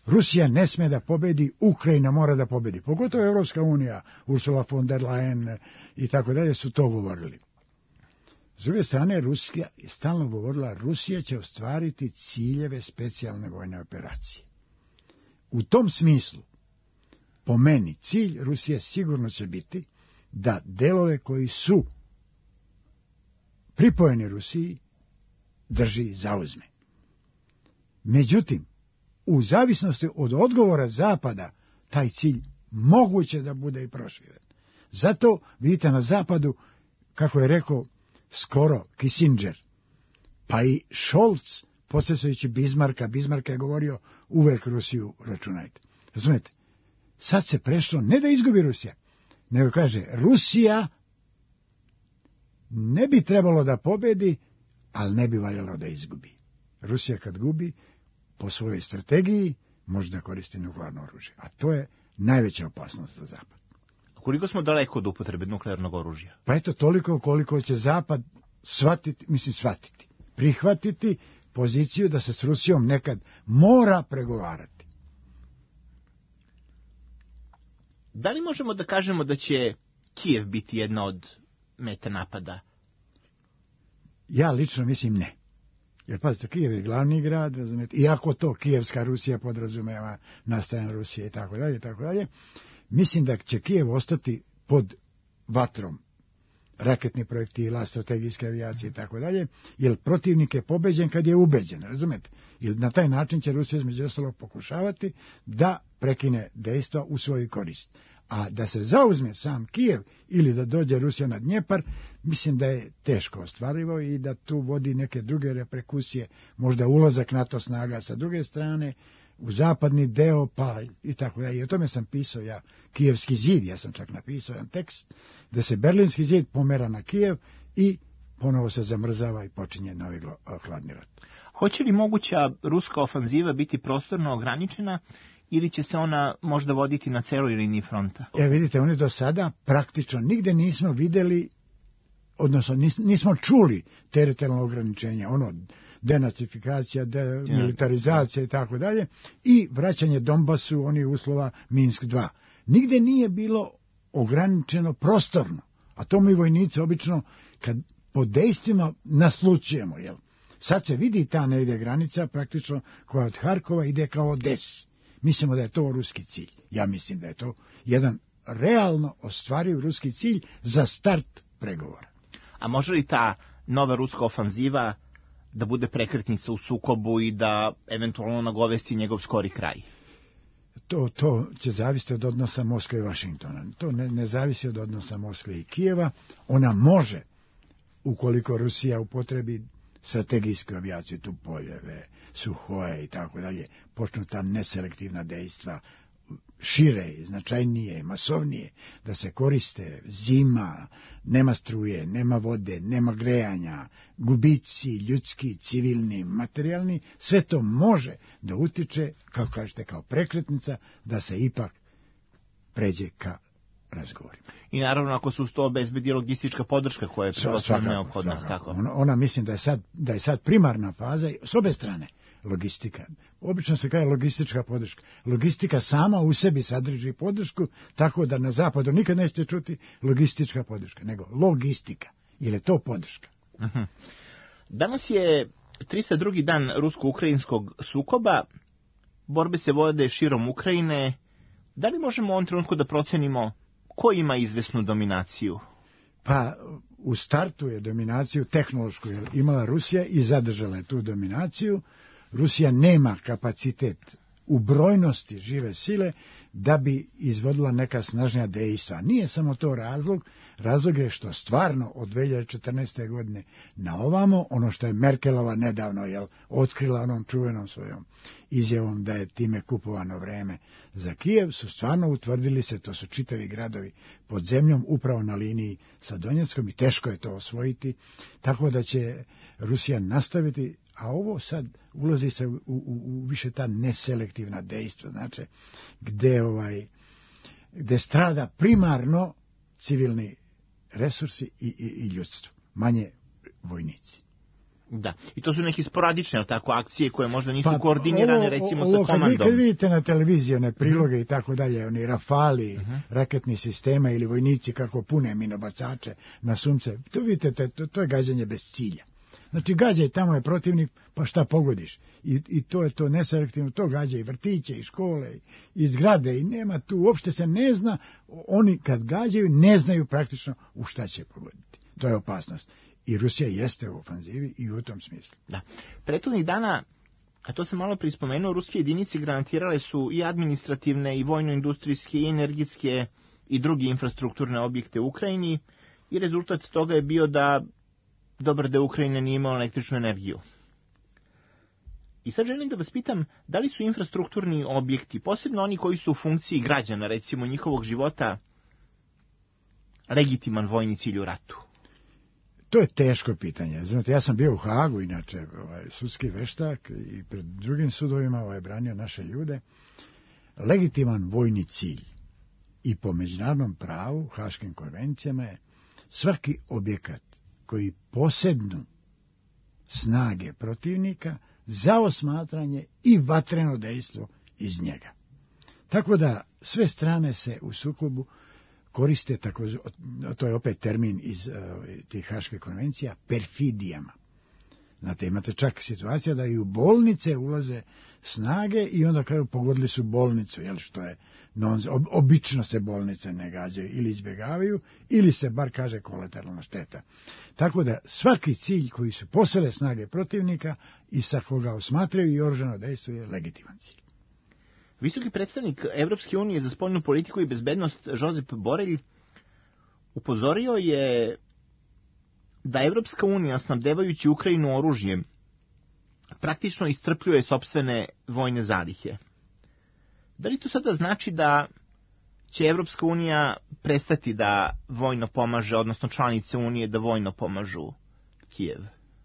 Rusija ne sme da pobedi, Ukrajina mora da pobedi. Pogotovo Evropska unija, Ursula von der Leyen i tako dalje su to govorili. S druge strane, Rusija je stalno govorila, Rusija će ostvariti ciljeve specijalne vojne operacije. U tom smislu, po meni, cilj Rusije sigurno će biti da delove koji su pripojeni Rusiji drži i zauzme. Međutim, u zavisnosti od odgovora Zapada, taj cilj moguće da bude i proširen. Zato vidite na zapadu, kako je rekao skoro Kissinger, pa i Scholz, posjećajući Bismarcka je govorio uvek Rusiju računajte. Razumete? Sad se prešlo, ne da izgubi Rusija, nego kaže Rusija ne bi trebalo da pobedi, ali ne bi valjalo da izgubi. Rusija kad gubi, po svojoj strategiji, može da koristi nuklearno oružje. A to je najveća opasnost za Zapad. Koliko smo daleko od upotrebe nuklearnog oružja? Pa eto, toliko koliko će Zapad prihvatiti poziciju da se s Rusijom nekad mora pregovarati. Da li možemo da kažemo da će Kijev biti jedna od meta napada? Ja lično mislim ne. Jer pazite, Kijev je glavni grad, razumijete, iako to Kijevska Rusija podrazumeva nastajanje Rusije i tako dalje, mislim da će Kijev ostati pod vatrom raketnih projektila, strategijske avijacije i tako dalje, jer protivnik je pobeđen kad je ubeđen, razumete? I na taj način će Rusija između ostalog pokušavati da prekine dejstva u svoju korist. A da se zauzme sam Kijev ili da dođe Rusija na Dnjepar, mislim da je teško ostvarivo i da tu vodi neke druge reperkusije, možda ulazak NATO snaga sa druge strane, u zapadni deo, pa i tako dalje. I o tome sam pisao ja, Kijevski zid, ja sam čak napisao jedan tekst, da se Berlinski zid pomera na Kijev i ponovo se zamrzava i počinje novi hladni rat. Hoće li moguća ruska ofanziva biti prostorno ograničena ili će se ona možda voditi na celoj liniji fronta? Vidite, oni do sada praktično nigde nismo videli, odnosno nismo čuli teritorijalno ograničenje, denacifikacija, demilitarizacija i tako dalje, i vraćanje Donbasu, onih uslova Minsk 2. Nigde nije bilo ograničeno prostorno, a to mi vojnici obično kad po dejstvima naslučujemo, jel? Sad se vidi ta negdje granica praktično koja od Harkova ide kao Odesi. Mislimo da je to ruski cilj. Ja mislim da je to jedan realno ostvariv ruski cilj za start pregovora. A može li ta nova ruska ofanziva da bude prekretnica u sukobu i da eventualno nagovesti njegov skori kraj? To će zavisiti od odnosa Moskve i Vašingtona. To ne zavisi od odnosa Moskve i Kijeva. Ona može, ukoliko Rusija upotrebi strategijsku avijaciju, tu Poljeve, Suhoje i tako dalje, počnu ta neselektivna dejstva šire, značajnije, masovnije, da se koriste zima, nema struje, nema vode, nema grejanja, gubici ljudski, civilni, materijalni, sve to može da utiče, kao kažete, kao prekretnica, da se ipak pređe ka razgovorima. I naravno ako su to obezbedi logistička podrška koja je prevasno neophodna. Tako. Ona mislim da je sad primarna faza s obe strane. Logistika. Obično se kaže logistička podrška. Logistika sama u sebi sadrži podršku, tako da na zapadu nikad nećete čuti logistička podrška, nego logistika. Ili je to podrška? Uh-huh. Danas je 302. dan rusko-ukrajinskog sukoba. Borbe se vode širom Ukrajine. Da li možemo u ovom trenutku da procenimo ko ima izvesnu dominaciju? Pa u startu je dominaciju tehnološku imala Rusija i zadržala je tu dominaciju. Rusija nema kapacitet u brojnosti žive sile da bi izvodila neka snažnija dejstva. Nije samo to razlog je što stvarno od 2014. godine na ovamo, ono što je Merkelova nedavno otkrila onom čuvenom svojom izjavom da je time kupovano vreme za Kijev, su stvarno utvrdili se, to su čitavi gradovi pod zemljom, upravo na liniji sa Donjeckom, i teško je to osvojiti, tako da će Rusija nastaviti. A ovo sad ulazi se u više ta neselektivna dejstva, znači gde strada primarno civilni resursi i ljudstvo, manje vojnici. Da, i to su neke sporadične akcije koje možda nisu koordinirane recimo sa komandom. Kad vidite na televiziji one priloge i tako dalje, oni rafali, raketni sistema ili vojnici kako pune minobacače na sunce, to vidite, to je gađanje bez cilja. Znači, gađaj, tamo je protivnik, pa šta pogodiš? I to je to neselektivno, to gađa i vrtiće, i škole, i zgrade, i nema tu, uopšte se ne zna, oni kad gađaju ne znaju praktično u šta će pogoditi. To je opasnost. I Rusija jeste u ofanzivi i u tom smislu. Da. Prethodnih dana A to sam malo prispomenuo, ruske jedinice granatirale su i administrativne, i vojno-industrijske, i energetske, i druge infrastrukturne objekte u Ukrajini, i rezultat toga je bio da dobar deo Ukrajine nije imao električnu energiju. I sad želim da vas pitam, da li su infrastrukturni objekti, posebno oni koji su u funkciji građana, recimo njihovog života, legitiman vojni cilj u ratu? To je teško pitanje. Znate, ja sam bio u Hagu, inače, sudski veštak i pred drugim sudovima branio naše ljude. Legitiman vojni cilj i po međunarodnom pravu, Haškim konvencijama, je svaki objekat koji posednu snage protivnika za osmatranje i vatreno dejstvo iz njega. Tako da sve strane se u sukobu koriste, to je opet termin iz tih Haških konvencija, perfidijama. Znate, imate čak situacija da i u bolnice ulaze snage i onda kažu pogodili su bolnicu, što je obično se bolnice ne gađaju ili izbjegavaju, ili se bar kaže kolateralna šteta. Tako da svaki cilj koji su posele snage protivnika i sa koga osmatraju i oružano dejstvo je legitiman cilj. Visoki predstavnik Evropske unije za spoljnu politiku i bezbednost Josep Borelj upozorio je da Evropska unija, snabdevajući Ukrajinu oružjem, praktično iscrpljuje sopstvene vojne zalihe. Da li to sada znači da će Evropska unija prestati da vojno pomaže, odnosno članice unije da vojno pomažu Kijev?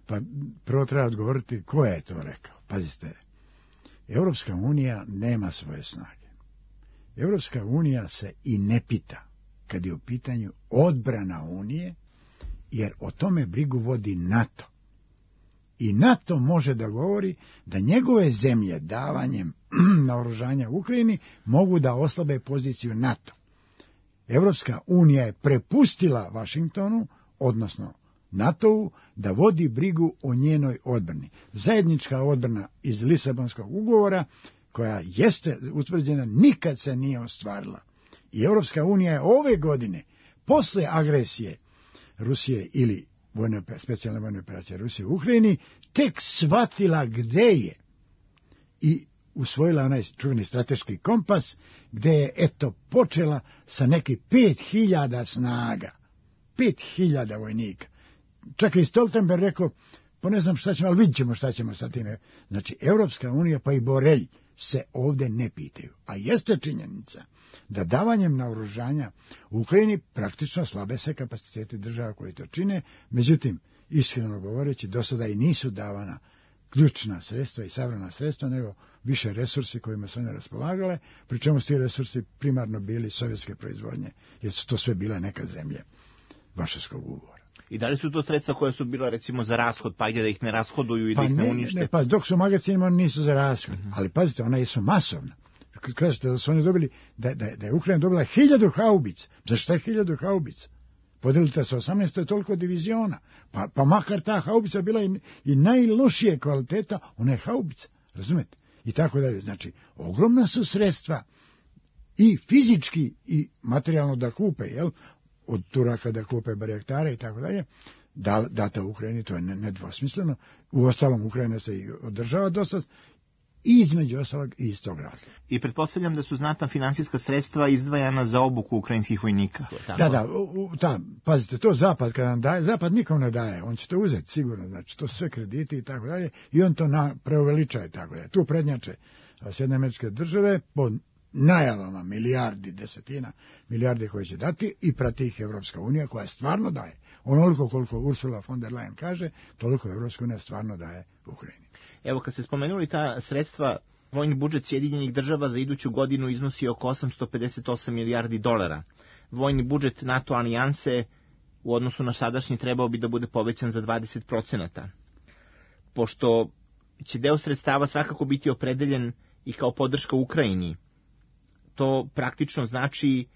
Pa prvo treba odgovoriti ko je to rekao. Pazite, Evropska unija nema svoje snage. Evropska unija se i ne pita kad je u pitanju odbrana unije, jer o tome brigu vodi NATO. I NATO može da govori da njegove zemlje davanjem naoružanja Ukrajini mogu da oslabe poziciju NATO. Evropska unija je prepustila Vašingtonu, odnosno NATO-u, da vodi brigu o njenoj odbrani. Zajednička odbrana iz Lisabonskog ugovora, koja jeste utvrđena, nikad se nije ostvarila. I Evropska unija je ove godine, posle agresije Rusije ili specijalne vojne operacije Rusije u Ukrajini, tek shvatila gde je i usvojila onaj čuveni strateški kompas, gde je, počela sa nekih 5.000 snaga, 5.000 vojnika. Čak i Stoltenberg rekao, pa ne znam šta ćemo, ali vidjet ćemo šta ćemo sa time. Znači, Evropska unija pa i Borelj se ovde ne pitaju. A jeste činjenica da davanjem naoružanja u Ukrajini praktično slabe se kapaciteti država koji to čine, međutim, iskreno govoreći, do sada i nisu davana ključna sredstva i savremena sredstva, nego više resursi kojima su one raspolagale, pri čemu su ti resursi primarno bili sovjetske proizvodnje, jer su to sve bile neka zemlje Varšavskog ugovora. I da li su to sredstva koja su bila recimo za rashod, pa ide da ih ne rashoduju i da ih ne unište? Pa dok su u magazinima nisu za rashod, ali pazite, ona su masovna. Kažete da su oni dobili, da je Ukrajina dobila 1000 haubica. Za šta je 1000 haubica? Podelite sa 18, je toliko diviziona. Pa makar ta haubica bila i najlošije kvaliteta, ona je haubica. Razumete? I tako dalje. Znači, ogromna su sredstva i fizički i materijalno da kupe, od Turaka da kupe barjaktare i tako dalje, data u Ukrajini, to je nedvosmisleno. U ostalom Ukrajina se i održava dosta, i između ostalog i iz tog razloga. I pretpostavljam da su znatna finansijska sredstva izdvajana za obuku ukrajinskih vojnika. Da, pazite, to Zapad kada nam daje, Zapad nikom ne daje, on će to uzeti sigurno, znači to su sve krediti i tako dalje, i on to preuveliča i tako dalje. Tu prednjače Sjedinjene Američke Države po najavama desetina milijardi koje će dati, i prati ih Evropska unija koja stvarno daje. Onoliko koliko Ursula von der Leyen kaže, toliko Evropska unija stvarno daje Ukrajini. Evo, kad ste spomenuli ta sredstva, vojni budžet Sjedinjenih Država za iduću godinu iznosi oko 858 milijardi dolara. Vojni budžet NATO alijanse u odnosu na sadašnji trebao bi da bude povećan za 20%. Pošto će deo sredstava svakako biti opredeljen i kao podrška Ukrajini, to praktično znači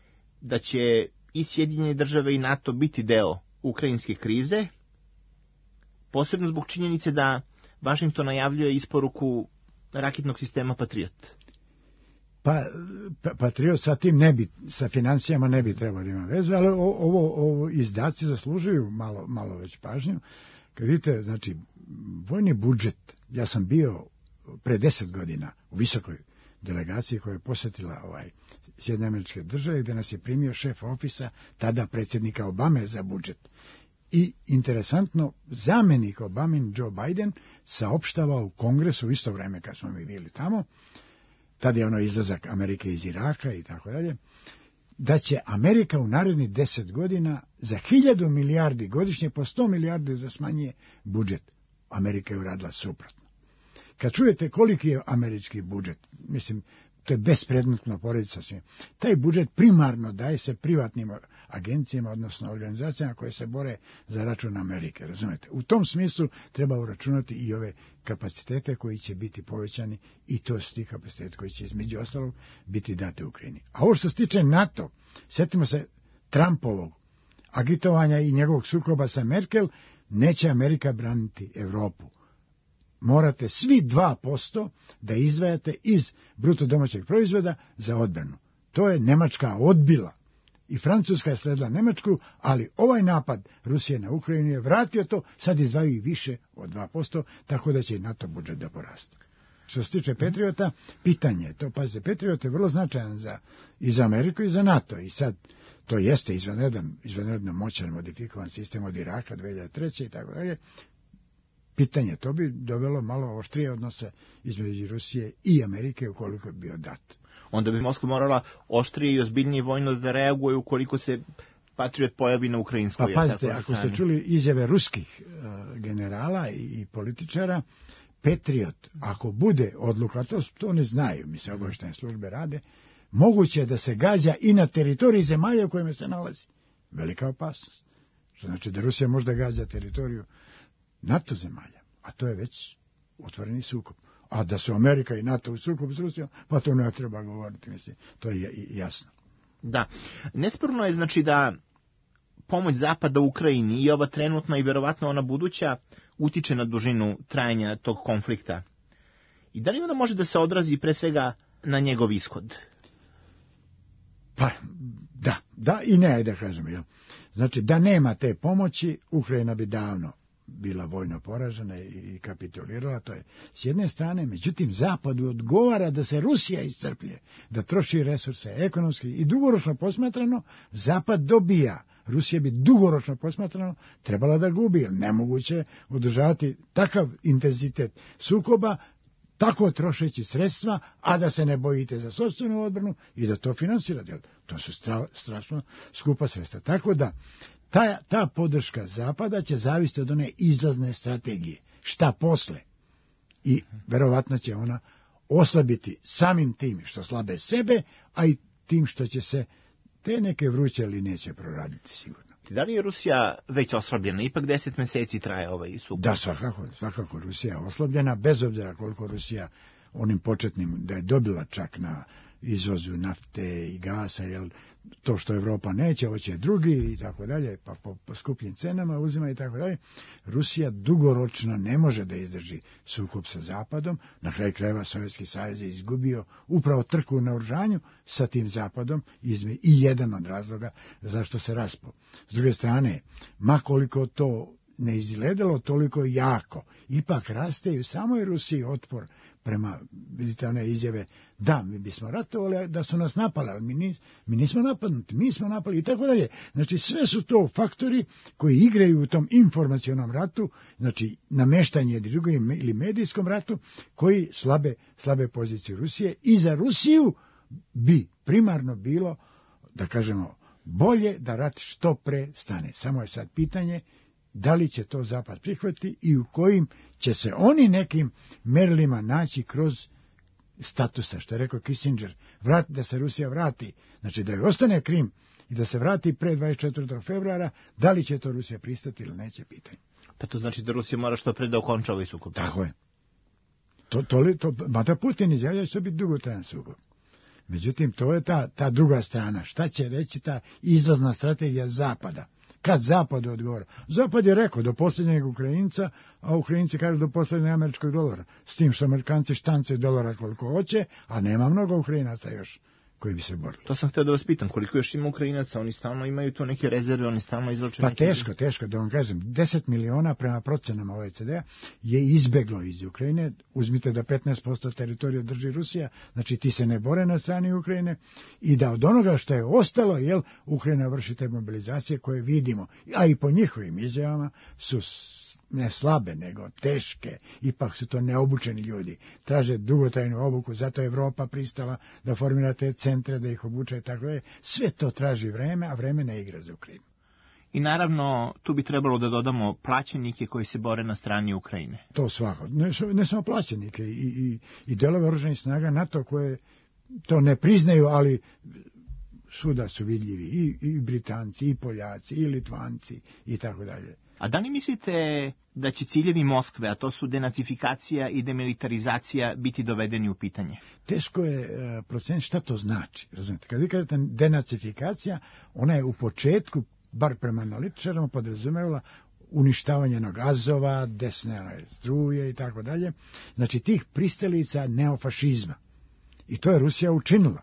da će i Sjedinjene Države i NATO biti deo ukrajinske krize, posebno zbog činjenice da Vašington najavljuje isporuku raketnog sistema Patriot. Pa Patriot sa tim sa financijama ne bi trebalo da ima veze, ali ovo izdaci zaslužuju malo već pažnju. Kad vidite, znači, vojni budžet, ja sam bio pre 10 godina u visokoj delegaciji koja je posjetila Sjedinjene Američke Države, gde nas je primio šef ofisa tada predsjednika Obame za budžet. I interesantno, zamjenik Obamin Joe Biden saopštava u Kongresu u isto vreme kad smo mi bili tamo, tada je izlazak Amerike iz Iraka i tako dalje, da će Amerika u narednih 10 godina za 1000 milijardi godišnje po 100 milijardi za smanjuje budžet. Amerika je uradila suprotno. Kad čujete koliki je američki budžet, mislim, to je bespredmetno porediti sa svim. Taj budžet primarno daje se privatnim agencijama, odnosno organizacijama koje se bore za račun Amerike, razumete? U tom smislu treba uračunati i ove kapacitete koji će biti povećani i to su ti kapacitete koji će između ostalog biti date Ukrajini. A ovo što se tiče NATO, sjetimo se Trumpovog agitovanja i njegovog sukoba sa Merkel, neće Amerika braniti Evropu. Morate svi 2% da izdvajate iz bruto domaćeg proizvoda za odbranu. To je Nemačka odbila i Francuska je sledila Nemačku, ali ovaj napad Rusije na Ukrajinu je vratio to, sad izdvajaju i više od 2%, tako da će i NATO budžet da poraste. Što se tiče Patriota, pitanje je to, pazite, Patriot je vrlo značajan i za Ameriku i za NATO i sad to jeste izvanredno moćan modifikovan sistem od Iraka 2003. i tako dalje. Pitanje, to bi dovelo malo oštrije odnose između Rusije i Amerike ukoliko je bio dat. Onda bi Moskva morala oštrije i ozbiljnije vojno da reaguje ukoliko se Patriot pojavi na ukrajinskoj. Pa pazite, ako ste čuli izjave ruskih generala i političara, Patriot, ako bude odluka, to ne znaju, mi se obavještajne službe rade, moguće je da se gađa i na teritoriji zemalja u kojima se nalazi. Velika opasnost. Što znači da Rusija možda gađa teritoriju NATO zemalja, a to je već otvoreni sukob. A da su Amerika i NATO u sukobu s Rusijom, pa to ne treba govoriti, mislim, to je jasno. Da, nesporno je znači da pomoć Zapada Ukrajini i ova trenutna i verovatno ona buduća utiče na dužinu trajanja tog konflikta. I da li ona može da se odrazi pre svega na njegov ishod? Pa, da i ne, da kažem. Jel? Znači, da nema te pomoći, Ukrajina bi davno bila vojno poražena i kapitulirala, to je s jedne strane, međutim Zapadu odgovara da se Rusija iscrpljuje, da troši resurse ekonomski i dugoročno posmatrano, Zapad dobija. Rusija bi dugoročno posmatrano trebala da gubi, jer nemoguće održavati takav intenzitet sukoba, tako trošeći sredstva, a da se ne bojite za sopstvenu odbranu i da to finansirate. To su strašno skupa sredstva. Tako da ta podrška Zapada će zavisiti od one izlazne strategije. Šta posle? I verovatno će ona oslabiti samim tim što slabe sebe, a i tim što će se te neke vruće linije će proraditi sigurno. Da li je Rusija već oslabljena? Ipak 10 meseci traje ovaj sukob. Da, svakako Rusija je oslabljena, bez obzira koliko Rusija onim početnim, da je dobila čak na izvozu nafte i gasa, jer to što Evropa neće, hoće drugi i tako dalje, pa po skupljim cenama uzima i tako dalje. Rusija dugoročno ne može da izdrži sukob sa Zapadom. Na kraju krajeva Sovjetski savez je izgubio upravo trku na oružanju sa tim Zapadom i jedan od razloga zašto se raspao. S druge strane, ma koliko to ne izgledalo toliko jako, ipak raste i u samoj Rusiji otpor prema, vidite one izjave, da, mi bismo ratovali, da su nas napali, ali mi nismo napadnuti, mi smo napali i tako dalje. Znači, sve su to faktori koji igraju u tom informacionom ratu, znači nameštanje ili medijskom ratu, koji slabe pozicije Rusije i za Rusiju bi primarno bilo, da kažemo, bolje da rat što pre stane. Samo je sad pitanje da li će to Zapad prihvatiti i u kojim će se oni nekim merilima naći kroz statusa, što je rekao Kissinger, da se Rusija vrati, znači da joj ostane Krim i da se vrati pre 24. februara, da li će to Rusija pristati ili neće, pitanje. Pa to znači da Rusija mora što pre da okonča ovaj sukob. Tako je. Mada Putin izjavlja će biti dugotrajan sukob. Međutim, to je ta druga strana. Šta će reći ta izlazna strategija Zapada? Kad Zapad odgovara? Zapad je rekao do posljednjeg Ukrajinca, a Ukrajinci kažu do posljednjeg američkog dolara. S tim što Amerikanci štancaju dolara koliko hoće, a nema mnogo Ukrajinaca još koji bi se borili. To sam htio da vas pitam, koliko još ima Ukrajinaca, oni stalno imaju tu neke rezerve, oni stalno izvlače Pa neke... teško, da vam kažem, 10 miliona prema procenama OECD-a je izbeglo iz Ukrajine, uzmite da 15% teritorija drži Rusija, znači ti se ne bore na strani Ukrajine, i da od onoga što je ostalo, Ukrajina vrši te mobilizacije koje vidimo, a i po njihovim izjavama su ne slabe, nego teške, ipak su to neobučeni ljudi, traže dugotrajnu obuku, zato je Evropa pristala da formira te centre, da ih obuče i tako je. Sve to traži vreme, a vreme ne igra za Ukrajinu. I naravno, tu bi trebalo da dodamo plaćenike koji se bore na strani Ukrajine. To svako, ne samo plaćenike, i delove oružanih snaga NATO koje to ne priznaju, ali svuda su vidljivi, i Britanci, i Poljaci, i Litvanci, i tako dalje. A da li mislite da će ciljevi Moskve, a to su denacifikacija i demilitarizacija, biti dovedeni u pitanje? Teško je proceniti šta to znači. Razumite? Kad vi kažete denacifikacija, ona je u početku, bar prema analitičarima, podrazumevala uništavanje Azova, desne struje i tako dalje. Znači tih pristalica neofašizma. I to je Rusija učinila.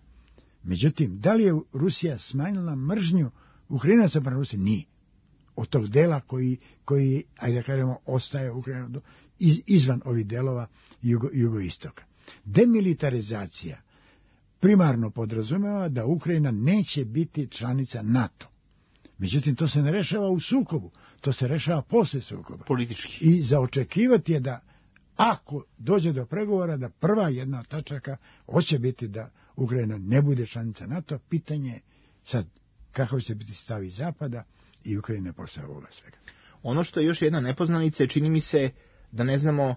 Međutim, da li je Rusija smanjila mržnju Ukrajinaca prema Rusiji? Nije. Od tog dela koji ajde da kažemo, ostaje Ukrajina izvan ovih delova jugoistoka. Demilitarizacija primarno podrazumeva da Ukrajina neće biti članica NATO. Međutim, to se ne rešava u sukobu, to se rešava posle sukoba. Politički. I za očekivati je da, ako dođe do pregovora, da prva jedna od tačaka hoće biti da Ukrajina ne bude članica NATO, pitanje je sad kakav će biti stav iz Zapada i Ukrajine posle ovoga svega. Ono što je još jedna nepoznanica je, čini mi se da ne znamo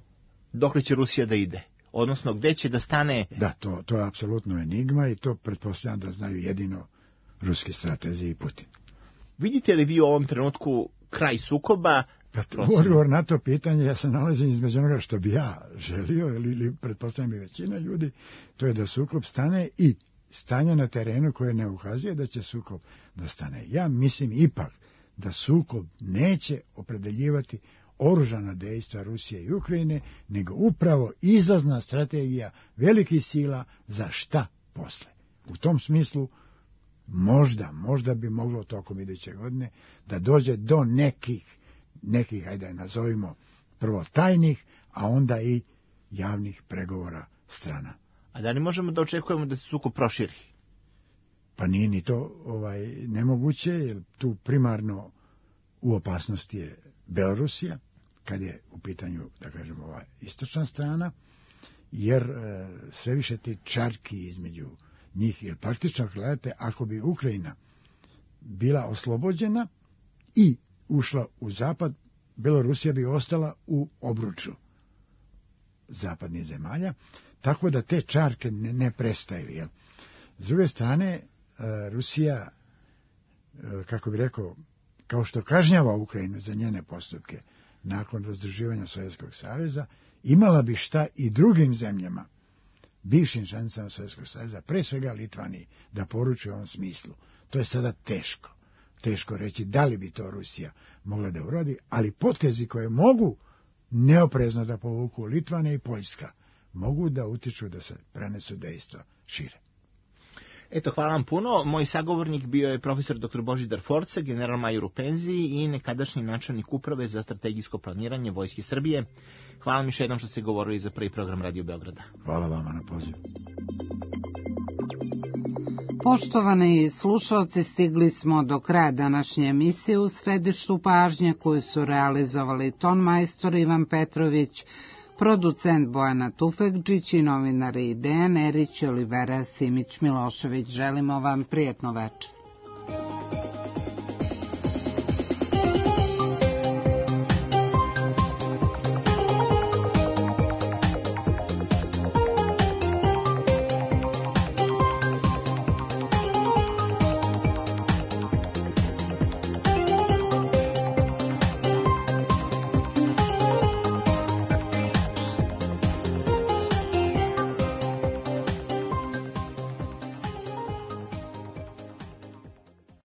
dokle će Rusija da ide. Odnosno, gde će da stane... Da, to je apsolutno enigma i to pretpostavljam da znaju jedino ruski stratezi i Putin. Vidite li vi u ovom trenutku kraj sukoba? Odgovor na to pitanje, ja se nalazim između onoga što bi ja želio, ili pretpostavljam i većina ljudi, to je da sukob stane i stanje na terenu koje ne ukazuje da će sukob da stane. Ja mislim ipak da sukob neće opredeljivati oružana dejstva Rusije i Ukrajine, nego upravo izlazna strategija velikih sila za šta posle. U tom smislu možda bi moglo tokom iduće godine da dođe do nekih, ajde nazovimo, prvo tajnih, a onda i javnih pregovora strana. A da li možemo da očekujemo da se sukob proširi? Pa nije ni to nemoguće, jer tu primarno u opasnosti je Belorusija, kad je u pitanju, da kažemo, ova istočna strana, jer sve više ti čarki između njih, jer praktično gledate, ako bi Ukrajina bila oslobođena i ušla u zapad, Belorusija bi ostala u obruču zapadnih zemalja, tako da te čarke ne prestaju. Jel? S druge strane, Rusija, kako bi rekao, kao što kažnjava Ukrajinu za njene postupke nakon razdruživanja Sovjetskog saveza, imala bi šta i drugim zemljama, bivšim članicama Sovjetskog saveza, pre svega Litvaniji, da poruči u ovom smislu. To je sada teško reći da li bi to Rusija mogla da uradi, ali potezi koje mogu neoprezno da povuku Litvanija i Poljska, mogu da utiču da se prenesu dejstva šire. Eto, hvala vam puno. Moj sagovornik bio je profesor dr. Božidar Forca, general major u penziji i nekadašnji načelnik uprave za strategijsko planiranje Vojske Srbije. Hvala vam još jednom što ste govorili za prvi program Radio Beograda. Hvala vama na pozivu. Poštovani slušalci, stigli smo do kraja današnje emisije. U središtu pažnje koju su realizovali ton majstor Ivan Petrović, producent Bojana Tufekđić i novinari Dejan Erić i Olivera Simić Milošević. Želimo vam prijetno večer.